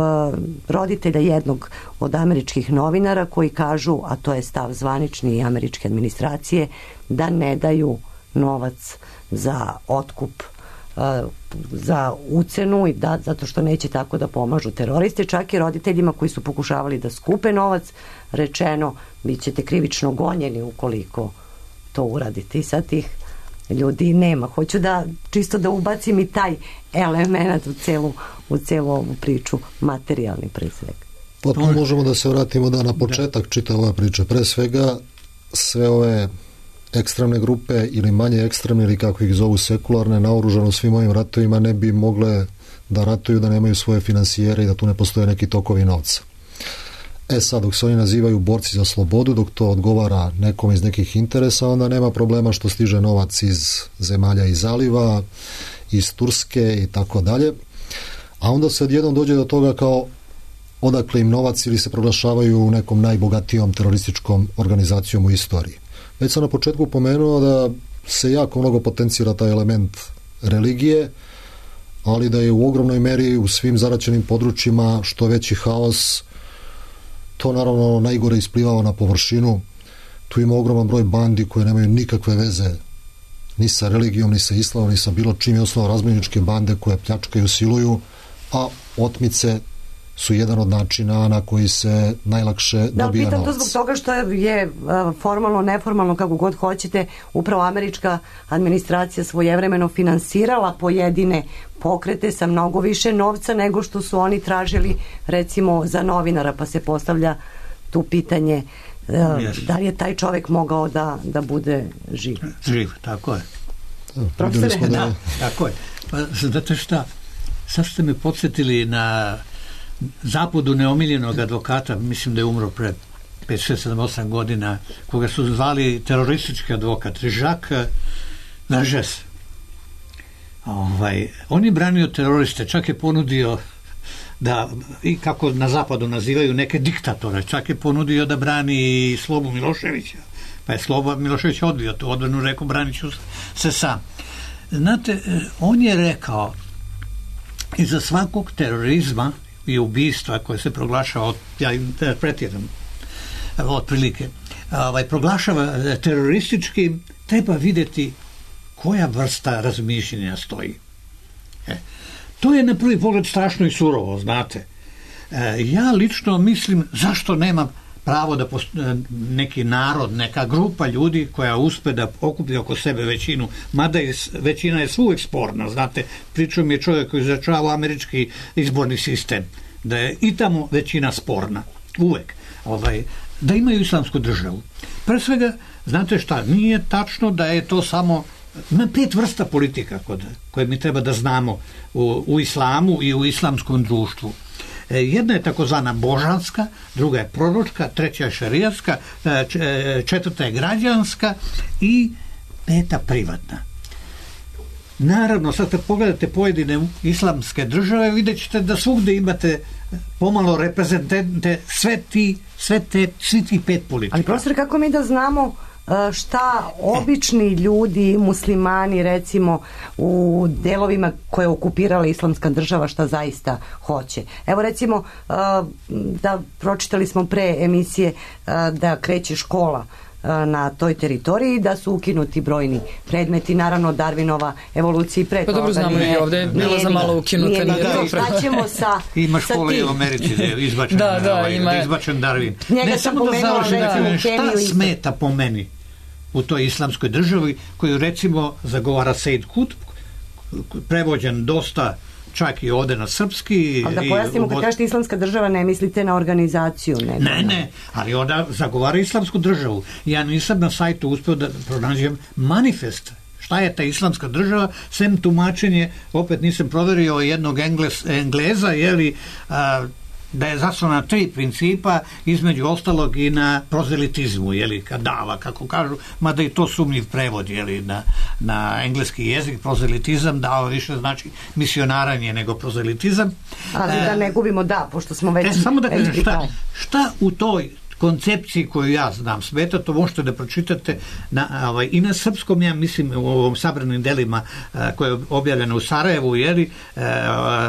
roditelja jednog od američkih novinara koji kažu, a to je stav zvanični i američke administracije, da ne daju novac za otkup za ucenu i zato što neće tako da pomažu teroriste, čak i roditeljima koji su pokušavali da skupe novac rečeno bit ćete krivično gonjeni ukoliko to uradite i sad tih ljudi nema. Hoću da čisto da ubacim i taj element u celu ovu priču, materijalni pre svega. Pa tu možemo da se vratimo na početak čitave ove priče. Pre svega sve ove ekstremne grupe ili manje ekstremne ili kako ih zovu sekularne, naoružano svim ovim ratovima ne bi mogle da ratuju da nemaju svoje finansijere i da tu ne postoje neki tokovi novca. Sad, dok se oni nazivaju borci za slobodu, dok to odgovara nekom iz nekih interesa, onda nema problema što stiže novac iz zemalja iz Zaliva, iz Turske i tako dalje. A onda se odjednom dođe do toga kao odakle im novac ili se proglašavaju nekom najbogatijom terorističkom organizacijom u istoriji. Već sam na početku pomenuo da se jako mnogo potencira taj element religije, ali da je u ogromnoj meri u svim zaraćenim područjima što veći haos, to naravno najgore isplivao na površinu. Tu ima ogroman broj bandi koje nemaju nikakve veze ni sa religijom, ni sa islamom, ni sa bilo čim, je osnovno razbojničke bande koje pljačkaju, siluju, a otmice su jedan od načina na koji se najlakše dobija novac. Da, pitam to zbog toga što je formalno, neformalno, kako god hoćete, upravo američka administracija svojevremeno finansirala pojedine pokrete sa mnogo više novca nego što su oni tražili recimo za novinara, pa se postavlja tu pitanje da li je taj čovjek mogao da bude živ. Živ, tako je. Profesore, da, tako je. Pa, znate šta, sad ste me podsjetili na zapadu neomiljenog advokata, mislim da je umro pred 5, 6, 7, 8 godina, koga su zvali teroristički advokat, Jacques Vergès. On je branio teroriste, čak je ponudio da, i kako na zapadu nazivaju neke diktatore, čak je ponudio da brani Slobu Miloševića, pa je Sloba Milošević odbio tu odbranu, rekao branit ću se sam. Znate, on je rekao iza svakog terorizma i ubistva koje se proglašava, ja interpretiram otprilike, proglašava terorističkim, treba vidjeti koja vrsta razmišljenja stoji. To je na prvi pogled strašno i surovo, znate. Ja lično mislim zašto nema pravo da neki narod, neka grupa ljudi koja uspe da okupi oko sebe većinu, mada većina je svuvek sporna, znate, pričao mi je čovjek koji izračava američki izborni sistem, da je i tamo većina sporna, uvek, da imaju islamsku državu. Pre svega, znate šta, nije tačno da je to samo, ima 5 vrsta politika koje mi treba da znamo u islamu i u islamskom društvu. Jedna je takozvana božanska, druga je proročka, treća je šerijatska, četvrta je građanska i 5. privatna. Naravno, sad kad pogledate pojedine islamske države, vidjet ćete da svugde imate pomalo reprezentante svi ti 5 politika. Ali profesor, kako mi da znamo šta obični ljudi, muslimani recimo u delovima koje je okupirala islamska država, šta zaista hoće? Evo recimo da pročitali smo pre emisije da kreće škola na toj teritoriji, da su ukinuti brojni predmeti, naravno Darwinova evolucija i pre toga. Pa dobro znamo i ovde je bilo za malo ukinuta. Šta ćemo sa ima škole i u Americi da je izbačen, izbačen Darwin. Ne, samo da završim, šta smeta po meni u toj islamskoj državi koju recimo zagovara Sejid Kutb, prevođen dosta čak i ovde na srpski. Ali da pojasnimo, kad kažete islamska država, ne mislite na organizaciju? Ne, ali ona zagovara islamsku državu. Ja nisam na sajtu uspeo da pronađem manifest. Šta je ta islamska država, sem tumačenje, opet nisam proverio jednog Engleza, da je zasnovana na 3 principa, između ostalog i na prozelitizmu, kadava, kako kažu, mada i to sumnjiv prevod, na engleski jezik, prozelitizam, dava više znači misionaranje nego prozelitizam. Ali da ne gubimo pošto smo već... Samo da kažem, šta u toj koncepciji koju ja znam smeta, to možete da pročitate i na srpskom, ja mislim, u ovom sabranim delima koje je objavljeno u Sarajevu,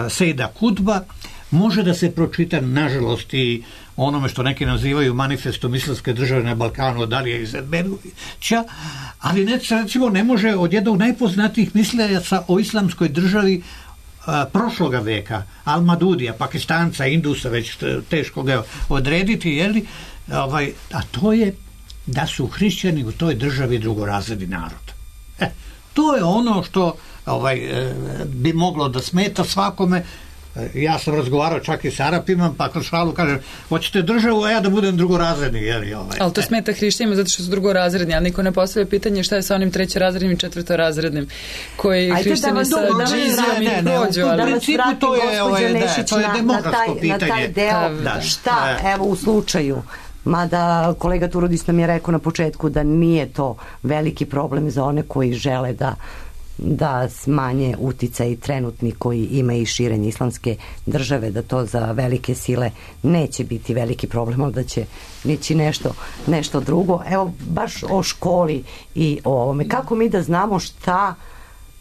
Sejida Kutba, može da se pročita, nažalost, i onome što neki nazivaju manifestom islamske države na Balkanu, da li je Izetbegovića, ali recimo ne može od jednog najpoznatijih mislejaca o islamskoj državi prošloga veka, Al-Madudija, Pakistanca, Indusa, već teško ga odrediti, jeli? A to je da su hrišćani u toj državi drugorazredni narod. To je ono što bi moglo da smeta svakome. Ja sam razgovarao čak i s Arapima, pa kroz šalu kaže, hoćete državu, a ja da budem drugorazredni. Ali to smeta hrišćanima zato što su drugorazredni, ali niko ne postavlja pitanje šta je sa onim trećerazrednim i četvrtorazrednim koji hrišćani sa džizijom i prođu. Da vas vratim, gospođa Nešić, na taj deo. Šta, evo, u slučaju, mada kolega Turudis nam je rekao na početku da nije to veliki problem za one koji žele da smanje uticaj trenutni koji ima i širenje islamske države, da to za velike sile neće biti veliki problem, ali da će nići nešto drugo. Evo, baš o školi i o ovome. Kako mi da znamo šta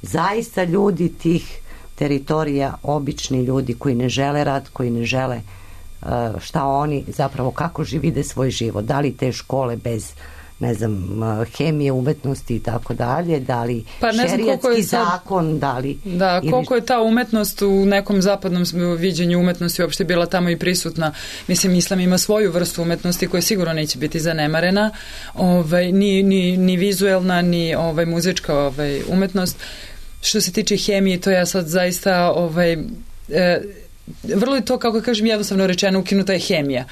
zaista ljudi tih teritorija, obični ljudi koji ne žele rat, koji ne žele šta oni zapravo, kako vide svoj život, da li te škole bez hemije, umetnosti i tako dalje, da li šerijatski zakon, da li... Da, koliko je ta umetnost u nekom zapadnom viđenju umetnosti uopšte bila tamo i prisutna. Mislim, islam ima svoju vrstu umetnosti koja sigurno neće biti zanemarena, ni vizuelna, ni muzička umetnost. Što se tiče hemije, to ja sad zaista vrlo je to, kako kažem, jednostavno rečeno, ukinuta je hemija.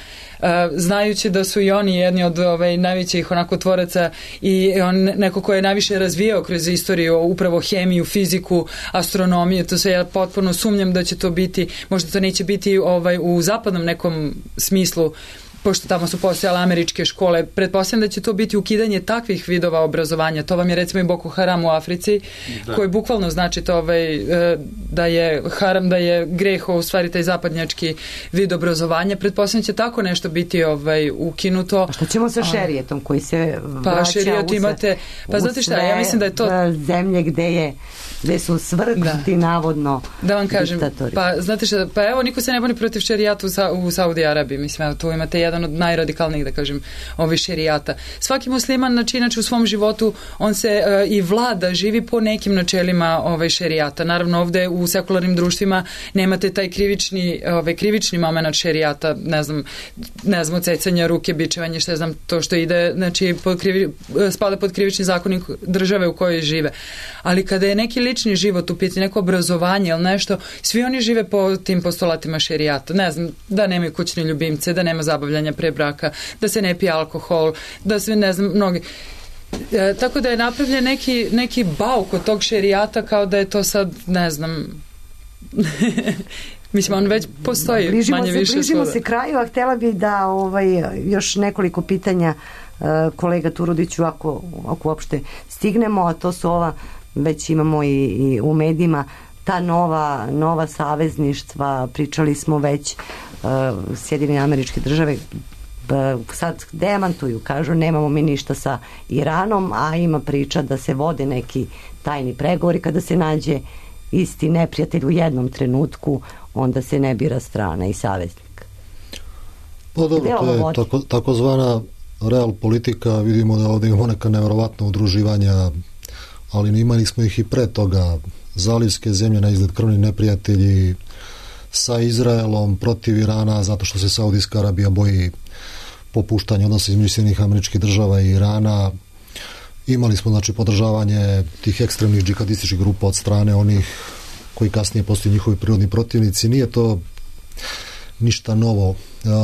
Znajući da su i oni jedni od najvećih onako tvoraca i neko ko je najviše razvijao kroz istoriju upravo hemiju, fiziku, astronomiju, to se ja potpuno sumnjam da će to biti, možda to neće biti u zapadnom nekom smislu, pošto tamo su postojale američke škole, pretpostavljam da će to biti ukidanje takvih vidova obrazovanja. To vam je recimo i Boko Haram u Africi, koji bukvalno znači to da je haram, da je greh, u stvari taj zapadnjački vid obrazovanja. Pretpostavljam će tako nešto biti ukinuto. A što ćemo sa šerijetom koji se vraća znate šta, ja mislim da je to zemlje gde su svrgnuti navodno da vam kažem, diktatori. Pa znate šta, pa evo, niko se ne buni protiv šerijata u Saudi Arabiji, mislim, evo, tu imate jedan od najradikalnijih, da kažem, šerijata. Svaki musliman, inače u svom životu, on se i vlada, živi po nekim načelima šerijata. Naravno, ovde u sekularnim društvima nemate taj krivični moment šerijata, ne znam, cecanja ruke, bičevanje, što znam, to što ide, znači, spada pod krivični zakonik države u kojoj žive. Ali kada je neki lični život u pitanju, neko obrazovanje ili nešto, svi oni žive po tim postulatima šerijata. Ne znam, da nemaju kućne ljubimce, da nema zabavljanja pre braka, da se ne pije alkohol, da se, ne znam, mnogi... tako da je napravljen neki bauk od tog šerijata, kao da je to sad, ne znam... Mislim, on već postoji manje više. Bližimo se kraju, a htjela bi da još nekoliko pitanja kolega Turudiću, ako uopšte stignemo, a to su već imamo i u medijima, ta nova savezništva, pričali smo već, Sjedinjene Američke Države sad demantuju, kažu nemamo mi ništa sa Iranom, a ima priča da se vode neki tajni pregovori, kada se nađe isti neprijatelj u jednom trenutku, onda se ne bira strana i saveznik. Pa dobro, to je takozvana real politika, vidimo da ovdje imamo neka nevjerovatna udruživanja, ali imali smo ih i pre toga, zalivske zemlje na izgled krvni neprijatelji sa Izraelom protiv Irana, zato što se Saudijska Arabija boji popuštanja odnosa između Sjedinjenih Američkih Država i Irana. Imali smo, znači, podržavanje tih ekstremnih džihadističkih grupa od strane onih koji kasnije postaju njihovi prirodni protivnici. Nije to ništa novo.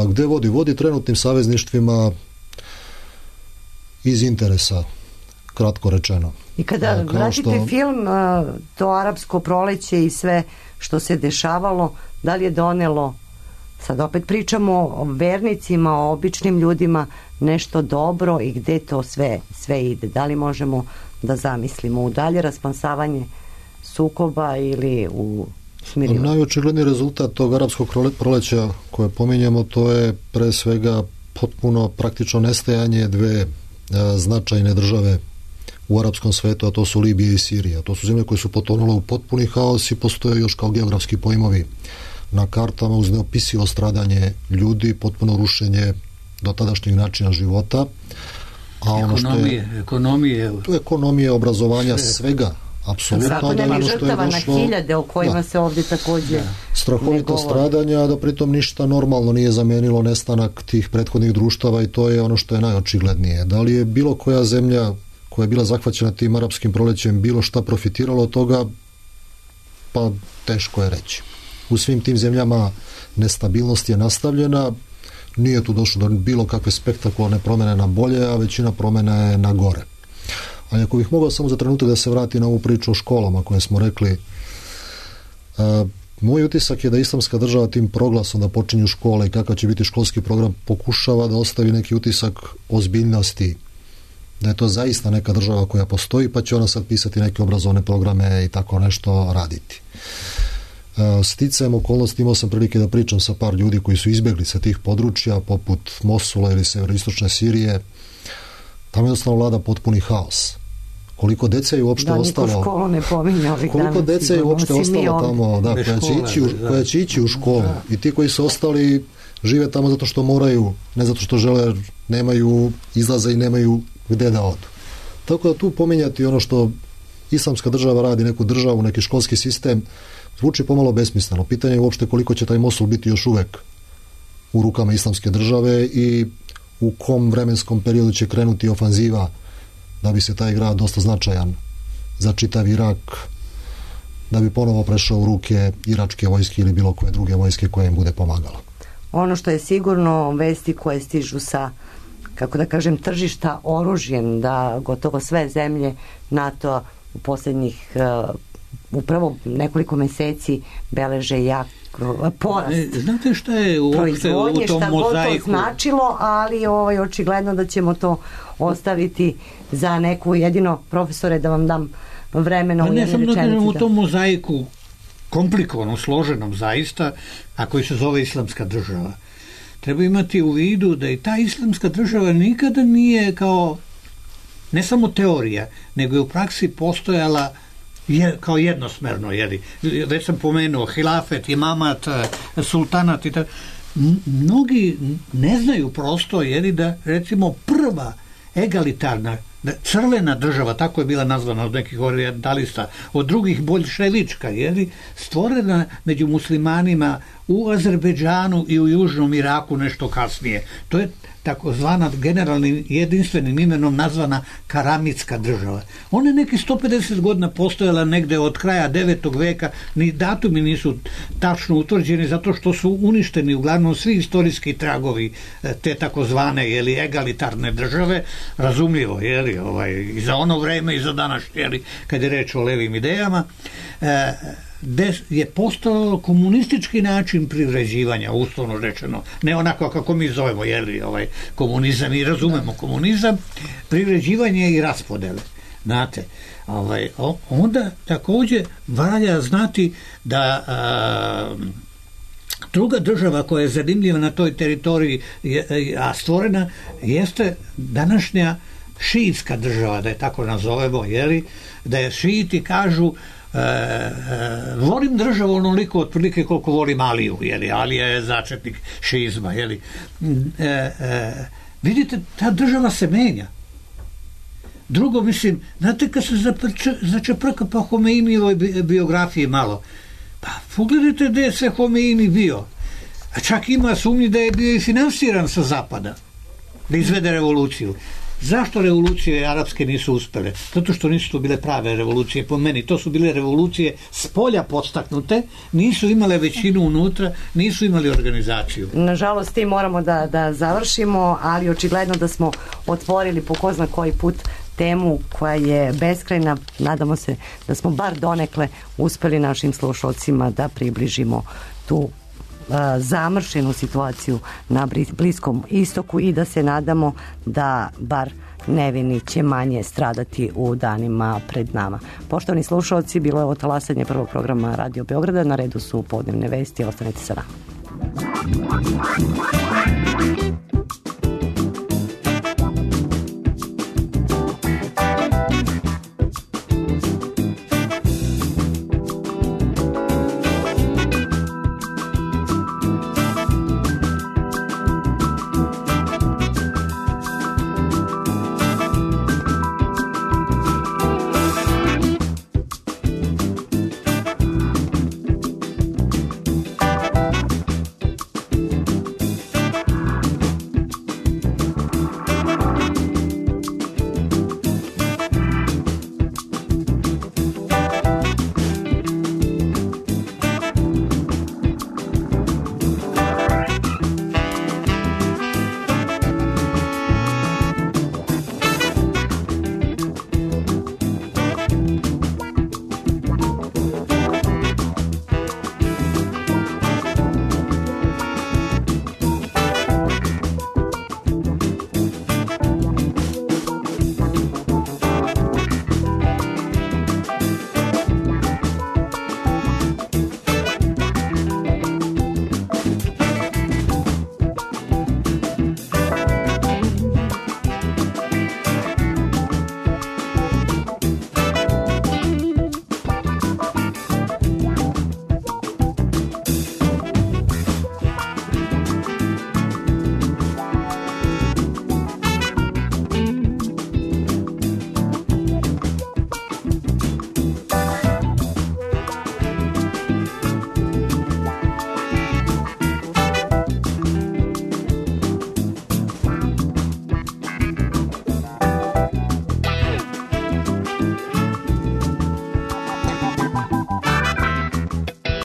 Gde vodi? Vodi trenutnim savezništvima iz interesa, kratko rečeno. I kada vratite film, to arapsko proleće i sve što se dešavalo, da li je donelo, sad opet pričamo o vernicima, o običnim ljudima, nešto dobro i gde to sve ide? Da li možemo da zamislimo u dalje raspansavanje sukoba ili u smirivanje? Najočigledniji rezultat tog arapskog proleća koje pominjemo, to je pre svega potpuno praktično nestajanje dve značajne države u arapskom svetu, a to su Libija i Sirija. To su zemlje koje su potonule u potpuni haos i postoje još kao geografski pojmovi na kartama uz neopisivo stradanje ljudi, potpuno rušenje dotadašnjeg načina života. A ono ekonomije, obrazovanja, svega, apsolutno. Zato nema žrtava na hiljade o kojima se ovdje također strahovito stradanja, da pritom ništa normalno nije zamenilo nestanak tih prethodnih društava i to je ono što je najočiglednije. Da li je bilo koja zemlja koja je bila zahvaćena tim arapskim prolećem bilo šta profitiralo od toga, pa teško je reći. U svim tim zemljama nestabilnost je nastavljena, nije tu došlo do bilo kakve spektakularne promjene na bolje, a većina promjena je na gore. Ali ako bih mogao samo za trenutak da se vrati na ovu priču o školama koje smo rekli, moj utisak je da Islamska država tim proglasom da počinju škole i kakav će biti školski program pokušava da ostavi neki utisak ozbiljnosti, da je to zaista neka država koja postoji, pa će ona sad pisati neke obrazovne programe i tako nešto raditi. Sticajem okolnosti imao sam prilike da pričam sa par ljudi koji su izbjegli sa tih područja, poput Mosula ili severoistočne Sirije. Tamo jednostavno vlada potpuni haos. Koliko dece je uopšte ostalo? Školu ne pominja ovih dana. Koliko dece je uopšte ostalo tamo, koja će ići u školu. I ti koji su ostali žive tamo zato što moraju, ne zato što žele, nemaju izlaza i nemaju gde da odu. Tako da tu pominjati ono što Islamska država radi, neku državu, neki školski sistem, zvuči pomalo besmisleno. Pitanje je uopšte koliko će taj Mosul biti još uvek u rukama Islamske države i u kom vremenskom periodu će krenuti ofanziva da bi se taj grad dosta značajan za čitav Irak, da bi ponovo prešao u ruke iračke vojske ili bilo koje druge vojske koje im bude pomagala. Ono što je sigurno, vesti koje stižu sa, kako da kažem, tržišta oružjem, da gotovo sve zemlje NATO u posljednjih upravo nekoliko meseci beleže jak porast. Znate šta je uopšte u tom mozaiku? To značilo, ali očigledno da ćemo to ostaviti za neku, jedino profesore da vam dam vremena u jednoj rečenici. U tom mozaiku komplikovanom, složenom zaista, a koji se zove Islamska država. Treba imati u vidu da i ta Islamska država nikada nije kao ne samo teorija, nego je u praksi postojala kao jednosmerno, već sam pomenuo hilafet, imamat, sultanat i tako. Mnogi ne znaju prosto, da recimo prva egalitarna crvena država, tako je bila nazvana od nekih orientalista, od drugih boljševička, stvorena među muslimanima u Azerbejdžanu i u Južnom Iraku nešto kasnije. To je takozvana generalnim jedinstvenim imenom nazvana Karamitska država. Ona je neki 150 godina postojala negde od kraja 9. veka, ni datumi nisu tačno utvrđeni zato što su uništeni uglavnom svi istorijski tragovi te takozvane egalitarne države, razumljivo, i za ono vreme i za današnje, kad je reč o levim idejama, gde je postojalo komunistički način privređivanja, uslovno rečeno, ne onako kako mi zovemo komunizam i razumemo komunizam, privređivanje i raspodele. Znate, onda također valja znati da druga država koja je zanimljiva na toj teritoriji, a stvorena, jeste današnja šiitska država, da je tako nazovemo, da je šiiti kažu volim državu onoliko otprilike koliko volim Aliju, Alija je začetnik šiizma, vidite, ta država se menja. Drugo, mislim, znate kad se začeprka pa Homeinijevoj biografiji malo, pa pogledajte gde je sve Homeini bio, a čak ima sumnji da je bio i finansiran sa zapada da izvede revoluciju. Zašto revolucije arapske nisu uspele? Zato što nisu to bile prave revolucije po meni. To su bile revolucije s polja podstaknute, nisu imale većinu unutra, nisu imali organizaciju. Nažalost, ti moramo da završimo, ali očigledno da smo otvorili po ko zna koji put temu koja je beskrajna. Nadamo se da smo bar donekle uspeli našim slušalcima da približimo tu zamršenu situaciju na Bliskom istoku i da se nadamo da bar nevini će manje stradati u danima pred nama. Poštovani slušalci, bilo je ovo talasanje prvog programa Radio Beograda, na redu su podnevne vesti, ostanite sa nama.